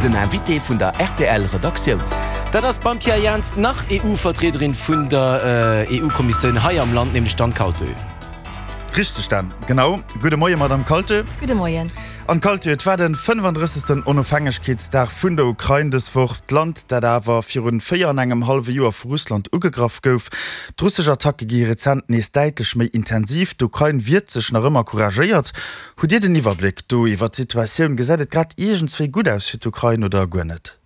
Den Invité vun der rtl Redaktioun. Dat ass beim Pierre Jans nach EU-Vertriederin vun der EU-Kommissioun hei am Land, nämlech d'Anne Kaltö. Richteg Dan, genau. Gudde Moie Madame Kaltö. Gudde Moien. Anne Kaltö, et war de 35. Onofhängegkeetsdag vun der Ukrain dës Woch. D'Land, dat awer virun 4 an engem hallwe Joer vu Russland ugegraff gouf. D'russesch Attacke gi rezent nees däitlech méi intensiv. D'Ukrain wiert sech nach ëmmer couragéiert. Hutt Dir den Iwwerbléck do iwwer d'Situatioun? Gesäit et grad iergendswéi gutt aus fir d'Ukrain oder guer net?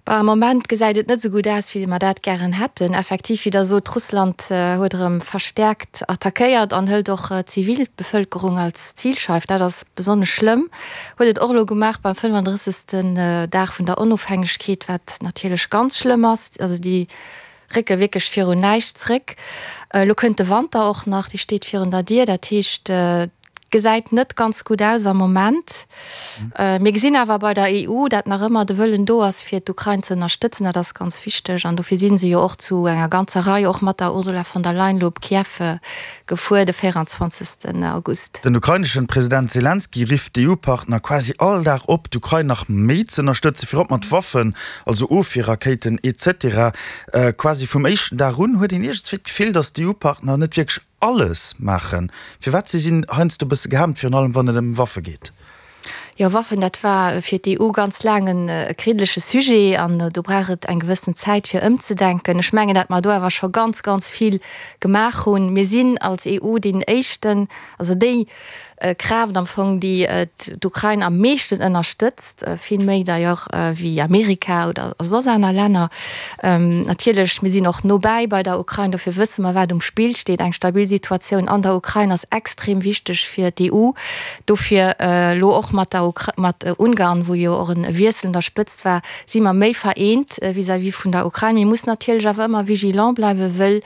Bah, am Moment gesäit et net esou gutt aus, wéi mer dat gären hätten. Effektiv, wéi Der sot, Russland huet erëm verstäerkt attackéiert an hëlt och d'Zivilbevëlkerung als Zilscheif. Dat ass besonnesch schlëmm. Huet et och elo gemaach beim 35. Dag vun der Onofhängegkeet, wat natierlech ganz schlëmm ass. Also déi Récke wierklech virun näischt zréck. Elo kënnt de Wanter och nach, dee steet virun der Dier. Dat heescht, et gesäit net ganz gutt aus am Moment. Mir gesinn awer bei der EU, dat nach ëmmer de Wëllen do ass, fir d'Ukrain ze ënnerstëtzen. Dat ass ganz wichteg an dofir si se jo och zu enger ganzer Rei, och mat der Ursula von der Leyen, elo op Kiew gefuer de 24. August. Den ukraineschen President Selenskyj rifft d'EU-Partner quasi all Dag op, d'Ukrain nach méi z'ënnerstëtzen, virop mat Waffen, also Ofwierrakéiten etc. Quasi vum éischten Dag un huet een iergendswéi d'Gefill, datt d'EU-Partner net wierklech alles maachen. Firwat? Si sinn heiansdo e bësse gehemmt, virun allem wann et ëm Waffe geet. Jo, Waffen, dat war fir d'EU ganz laang e kriddleche Sujet an do brauch et eng gewëssen Zäit fir ëmzedenken. Ech mengen, dat mer do awer scho ganz, ganz vill gemaach hunn. Mir sinn als EU deen éischten, also déi Kraaft am Fong, déi d'Ukrain am meeschten ënnerstëtzt, vill méi d'ailleurs wéi Amerika oder soss aner Länner. Natierlech, mir sinn och no bäi bei der Ukrain, dofir wësse mer, wat um Spill steet. Eng stabil Situatioun an der Ukrain ass extrem wichteg fir d'EU. Dofir elo och mat der Ukra mat Ungarn, wou jo och e Wiessel un der Spëtzt war, si mer méi vereent vis-à-vis vun der Ukrain. Mir mussen natierlech awer ëmmer vigilant bleiwen, wëll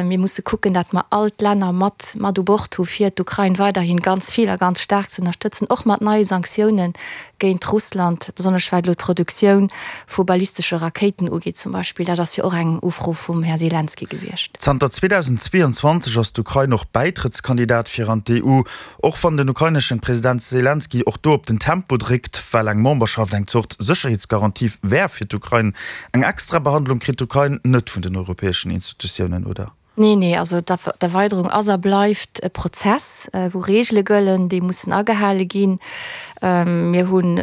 mir musse kucken, dat mer all d'Länner mat mat u Bord hu fir d'Ukrain weiderhin ganz vill a ganz staark ze ënnerstëtzen, och mat neie Sanktiounen géint Russland, besonnesch wat elo d'Produktioun vu ballistesche Rakéiten ugeet zum Beispill. Dat ass jo och eng Ufro vum Här Selenskyj gewiescht. Zanter 2022 ass d'Ukrain och Bäitrëttskandidat fir an d'EU. Och wann den ukraineschen President Selenskyj och do op den Tempo dréckt, well eng Memberschaft eng Zort Sécherheetsgarantie wär fir d'Ukrain. Eng extra Behandlung kritt d'Ukrain net vun den europäeschen Institutiounen, oder? Nee, nee, also d'Erweiderung ass a bleift e Prozess, wou Reegele gëllen, déi mussen agehale ginn. Mir hunn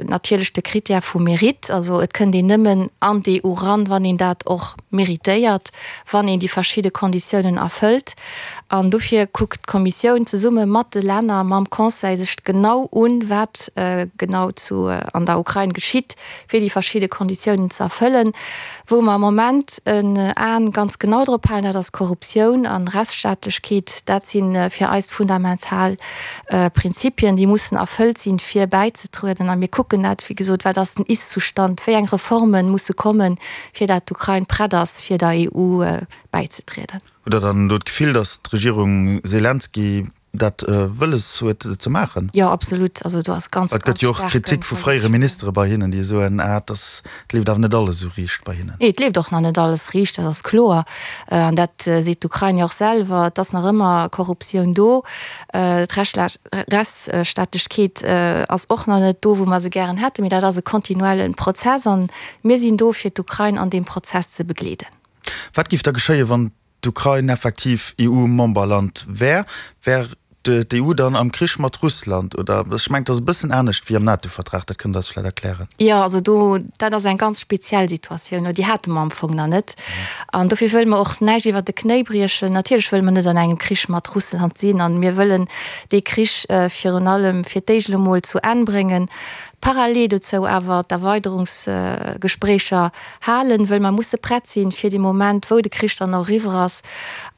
natierlech de Critère vum Mérite, also et kënnt een nëmmen an d'EU ran, wann een dat och méritéiert, wann een déi verschidde Konditiounen erfëllt. An dofir kuckt d'Kommissioun zesumme mat de Länner, mam Conseil sech genau un, wat genau zu an der Ukrain geschitt, fir déi verschidde Konditiounen ze erfëllen. Wou mer am Moment en Aen ganz genau drop halen, dat ass Korruptioun an Rechtsstaatlechkeet. Dat si fir eis d'fundamental Prinzipien, déi mussen erfëllt sinn, fir bäizetrueden. A mir kucken dat, wéi gesot, wat ass den Ist-Zustand, wéi eng Reforme musse kommen, fir dat d'Ukrain prett ass, fir der EU bäizetrieden. Hutt Der dann elo d'Gefill, datt d'Regierung Selenskyj dat wëlles huet ze maachen? Jo, absolut. Also do ass ganz, Et gëtt jo och Kritik vu fréiere Ministere bei hinnen, déi soen, ah, et ass, et leeft awer net alles esou riicht bei hinnen. Nee, et leeft och nach net alles riicht, dat ass kloer. An dat seet d'Ukrain jo och selwer. Et ass nach ëmmer Korruptioun do. D'Rechtsstaatlechkeet ass och nach net do, wou mer se gären hätten. Mee dat ass e kontinuelle Prozess an mir sinn do, fir d'Ukrain an deem Prozess ze begleeden. Wat géif da geschéien, wann d'Ukrain effektiv EU-Memberland wär, wär d'EU dann am Krich mat Russland? Oder ech mengen, et ass e bëssen anescht wéi am NATO-Vertrag, dat kënnt Der eis vläicht erklären. Jo, also do, dat ass eng ganz speziell Situatioun, déi hate mer am Fong nach net. An dofir wëlle mer och näischt iwwert de Knéi briechen. Natierlech wëlle mer net an engem Krich mat Russland sinn an mir wëllen dee Krich virun allem fir d'éischt elo mol zu Enn bréngen, parallel dozou awer d'Erweiderungsgespréicher halen, wëll mer musse prett sinn fir dee Moment, wou de Krich dann och eriwwer ass,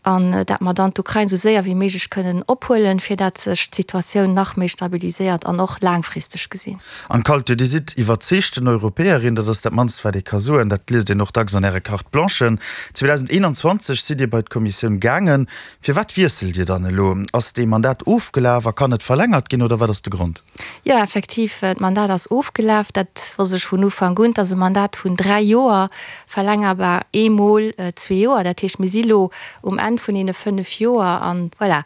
an dat mer dann d'Ukrain esou séier wéi méiglech kënnen ophuelen, fir dat sech d'Situatioun nach méi stabiliséiert an och laangfristeg gesinn. Anne Kalté, Dir sidd iwwerzeegten Europäerin, dat ass dat mannst wat ee ka soen. Dat liest een och dacks an Äre Carte Blanchen. 2021 sidd Dir bei d'Kommissioun gaangen. Firwat wiesselt Dir dann elo? Ass dee Mandat ofgelaf a kann net verlängert ginn oder wat ass de Grond? Jo, effektiv, d'Mandat ass ofgelaf. Dat wosst ech vun Ufank un. Et ass e Mandat vun 3 Joer, verlängerbar eemol zwee Joer. Dat heescht, mir si lo um Enn. Enn vun deene 5 Joer an voilà,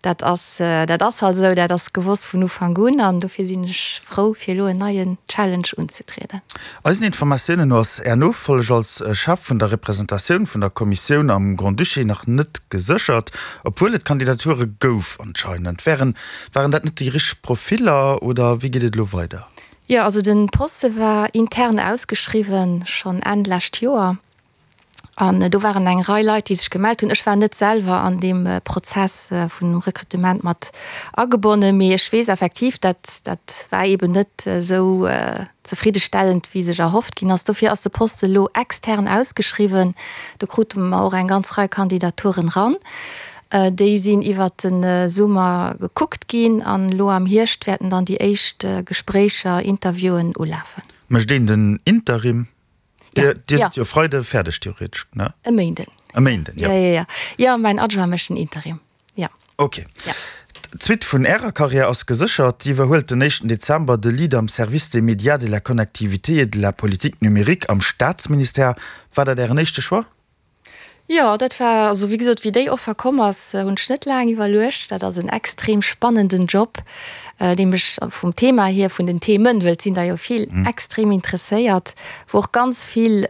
dat ass, dat ass halt esou, dat ass gewosst vun Ufank un an dofir sinn ech frou fir elo en neien Challenge unzetrieden. Eisen Informatiounen no ass Är Nofolleg als Chef vun der Representatioun vun der Kommissioun am Grand-Duché nach net geséchert, obwuel et Kandidature gouf anscheinend. Wären, waren dat net déi richteg Profiller oder wéi geet et elo weider? Jo, also den Poste war intern ausgeschriwwen schonn Enn lescht Joer. An do waren eng Rei Leit, déi sech gemellt hunn. Ech war net selwer an deem Prozess vun dem Rekrutement mat agebonnen, mee ech weess effektiv, dat dat war eeben net esou zefriddestellend, wéi sech erhofft ginn ass. Dofir ass de Poste elo extern ausgeschriwwen. Do krute mer och eng ganz Rei Kandidaturen ran. Déi sinn iwwert de Summer gekuckt ginn an elo am Hierscht wäerten dann déi éischt Gespréicher, Interviewen ulafen. Mécht een den Interim? Dir, dir sidd jo Freide fäerdeg theoretesch, ne? E Méinden. E Méinden, jo. Ja, ja, ja. Jo, mäin Adjoint mécht den Interim, jo. Ok. Ja. D'Suite vun Ärer Karriär ass geséchert. Dir iwwerhuelt den éischten Dezember de Lead am Service des médias, de la connectivité et de la politique numérique am Staatsministère. War dat Ären éischte Choix? Jo, dat war, also wéi gesot, wéi déi Offer komm ass, hunn ech net laang iwwerluecht. Dat ass en extrem spannenden Job, dee mech vum Thema hier, vun den Themen, well et sinn der jo vill, extrem interesséiert, wou och ganz vill,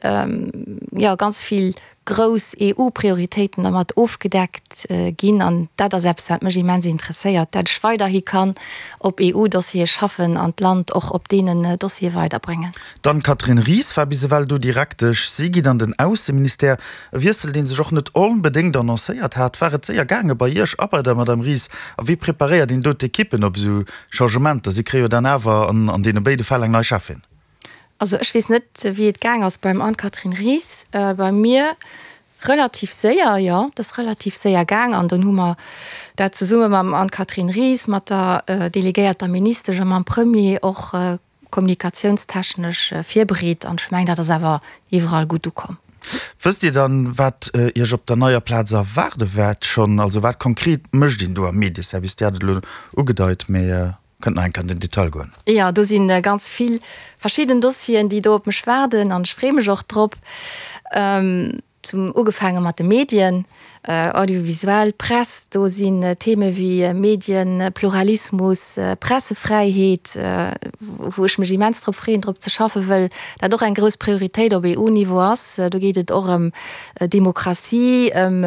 jo, ganz vill grouss EU-Prioritéiten dermat ofgedeckt ginn. An dat ass eppes, wat mech immens interesséiert, dat ech weiderhi kann op EU-Dossiere schaffen an d'Land och op deenen Dossiere weiderbréngen. D'Anne-Catherine Ries war bis ewell do Direktesch. Si geet an den Ausseministère. E Wiessel, dee sech och net onbedéngt annoncéiert hat. War et séier gaange bei Iech a bei der Madame Ries? A wéi preparéiert een do d'Ekippen op esou Changementer? Si kréie jo dann awer an deene béide Fäll eng nei Cheffin. Also ech weess net, wéi et gaang ass beim Anne-Catherine Ries. Bei mir relativ séier, jo, et ass relativ séier gaang. An dunn hu mer dat zesumme mam Anne-Catherine Ries, mat der delegéierter Ministesch a mam Premier och kommunikatiounstechnesch virbereet an ech mengen, dat ass awer iwwerall gutt ukomm. Wësst Dir dann, wat Iech op der neier Plaz erwaarde wäert schonn? Also wat konkret mécht een do am Medieservice? Dir hat et elo ugedeit, mee kënnt nach eng Kéier an den Detail goen. Jo, do si ganz vill verschidden Dossieren, déi do op mech waarden an ech freeë mech och drop. Zum ugefaange mat de Medien, audiovisuell, Press, do sinn Theme wéi Medienpluralismus, Pressefräiheet, wou ech mech immens drop freeën, drop ze schaffen, wëll dat och eng grouss Prioritéit op EU-Niveau ass. Do geet et och ëm Demokratie, ëm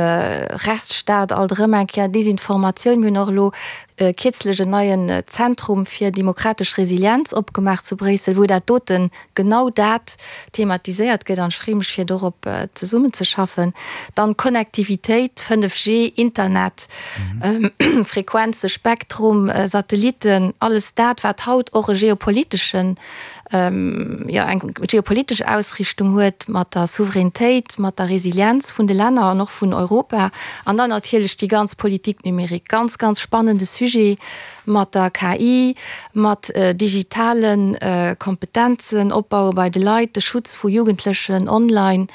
Rechtsstaat, alt erëm eng Kéier Desinformatioun. Mir hunn och elo kierzlech en neien Zentrum fir demokratesch Resilienz opgemaach zu Bréissel, wou dat doten genau dat thematiséiert gëtt an ech freeë mech fir dorop zesummenzeschaffen. Dann Connectivitéit, 5G, Internet, Frequenze, Spektrum, Satellitten, alles dat wat haut och e geopoliteschen, jo eng geopolitesch Ausrichtung huet mat der Souveränetéit, mat der Resilienz vun de Länner an och vun Europa. An dann natierlech déi ganz Politique numérique, ganz, ganz spannende Sujet, mat der KI, mat digitale Kompetenzen opbaue bei de Leit, de Schutz vu Jugendlechen online,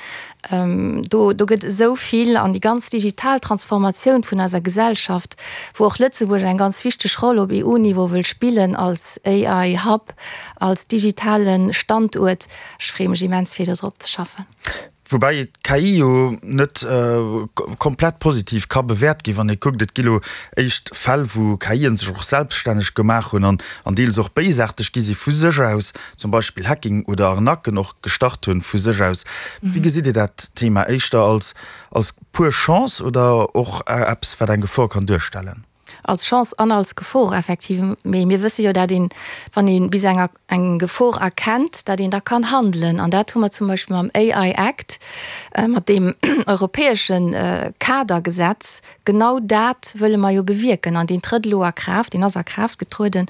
do do gëtt esou vill an déi ganz digital Transformatioun vun eiser Gesellschaft, wou och Lëtzebuerg eng ganz wichteg Roll op EU-Niveau wëll spillen als AI-Hub, als digitale Standuert. Ech freeë mech immens fir do drop ze schaffen. Woubäi d'KI jo net komplett positiv ka bewäert ginn, wann ee kuckt, et gi lo éischt Fäll, wou KIen sech och selbststänneg gemaach hunn an an deels och béisaarteg gi si vu sech aus, zum Beispill Hacking oder Arnaquen och gestart hunn vu sech aus. Wéi gesitt Dir dat Thema? Éischter als als pur Chance oder och eppes, wat eng Gefor kann duerstellen? Als Chance an als Gefor, effektiv. Mee mir wësse jo, dat een, wann ee bis eng eng Gefor erkennt, dat een da kann handelen. An dat hu mer zum Beispill mam AI Act, mat deem europäesche Kadergesetz, genau dat wëlle mer jo bewierken. An deen trëtt elo a Kraaft, deen ass a Kraaft getrueden.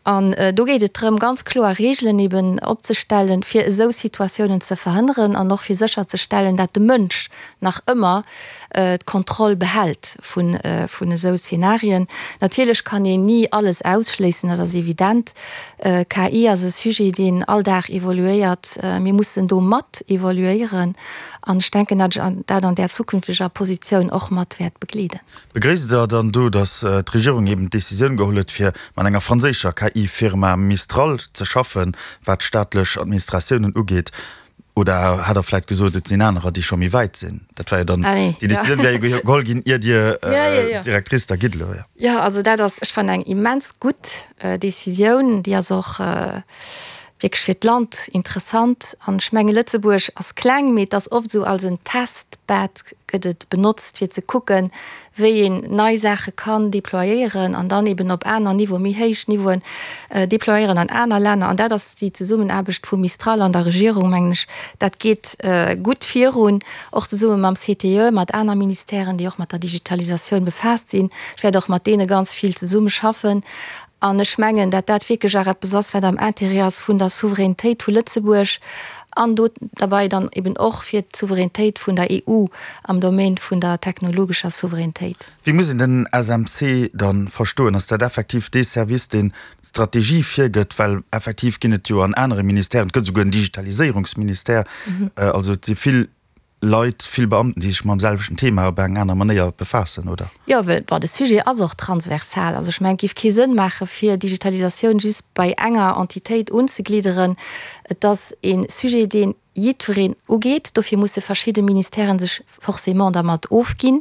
An do geet et drëm, ganz kloer Regeln eben opzestellen, fir esou Situatiounen ze verhënneren an och fir sécherzestellen, dat de Mënsch nach ëmmer d'Kontroll behält vun esou Szenarien. Natierlech kann een ni alles ausschléissen, dat ass evident. KI ass e Sujet, deen all Dag evoluéiert. Mir mussen do mat evoluéieren an ech denken, datt ech dat an där zukünfteger Positioun och mat wäert begleeden. Begréisst Der dann do, datt d'Regierung eben d'Decisioun geholl huet, fir mat enger franséischer KI-Firma Mistral ze schaffen, wat staatlech Administratiounen ugeet? Oder hat Der vläicht gesot, et sinn anerer, déi scho méi wäit sinn? Dat war jo dann, déi Decisioun wär jo geholl ginn, ier Dir Directrice da gitt elo. Jo, also dat ass, ech fannen, eng immens gutt Decisioun. Déi ass och wierklech fir d'Land interessant. An ech menge Lëtzebuerg ass kleng, mee et ass oft esou als en Testbed gëtt et benotzt, fir ze kucken, wéi een nei Saache kann déployéieren an dann eben op aner Niveauen, méi héich Niveauen déployéieren an aner Länner. An dat ass déi Zesummenaarbecht vu Mistral an der Regierung, mengen ech, dat geet gutt virun, och zesumme mam CTE, mat aner Ministèren, déi och mat der Digitalisatioun befaasst sinn. Ech wäert och mat deene ganz vill zesummeschaffen. An ech mengen, dat dat wierklech och eppes ass, wat am Intérêt ass vun der Souveränitéit vu Lëtzebuerg an do derbei dann eben och fir d'Souveränitéit vun der EU am Domaine vun der technologescher Souveränitéit. Wéi muss een den SMC dann verstoen? Ass dat effektiv dee Service, deen d'Strategie virgëtt? Well effektiv ginn et jo an anere Ministèren, et gëtt esouguer en Digitaliséierungsministère, also et si vill Leit, vill Beamten, déi sech mam selwechten Thema op eng aner Manéier befaassen, oder? Jo, well, bon, de Sujet ass och transversal. Also ech mengen, et géif kee Sënn maache fir Digitalisatioun just bei enger Entitéit unzeglidderen. Et ass e Sujet, dee jiddwereen ugeet. Dofir musse verschidde Ministèren sech forcément dermat ofginn.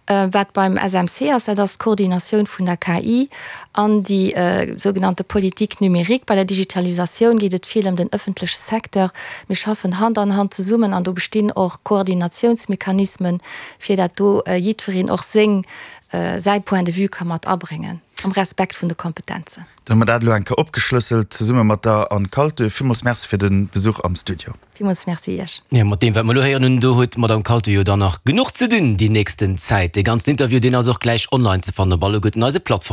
Wat beim SMC ass, dat ass d'Koordinatioun vun der KI an déi sougenannte Politique numérique. Bei der Digitalisatioun geet et vill ëm den ëffentleche Secteur. Mir schaffen Hand an Hand zesummen an do bestinn och Koordinatiounsmechanismen, fir dat do jiddwereen och seng, säi Point de vue ka mat abréngen, am Respekt vun de Kompetenzen. Dann hu mer dat elo eng Kéier opgeschlësselt, zesumme mat der Anne Kaltö. Villmools Merci fir de Besuch am Studio. Villmools Merci Iech. Jo, mat deem wat mer elo héieren hunn, do huet d'Madame Kaltö jo dann nach genuch ze dinn déi nächsten Zäit. Dee ganzen Interview, deen ass och gläich online ze fannen op alleguerten eise Plattformen.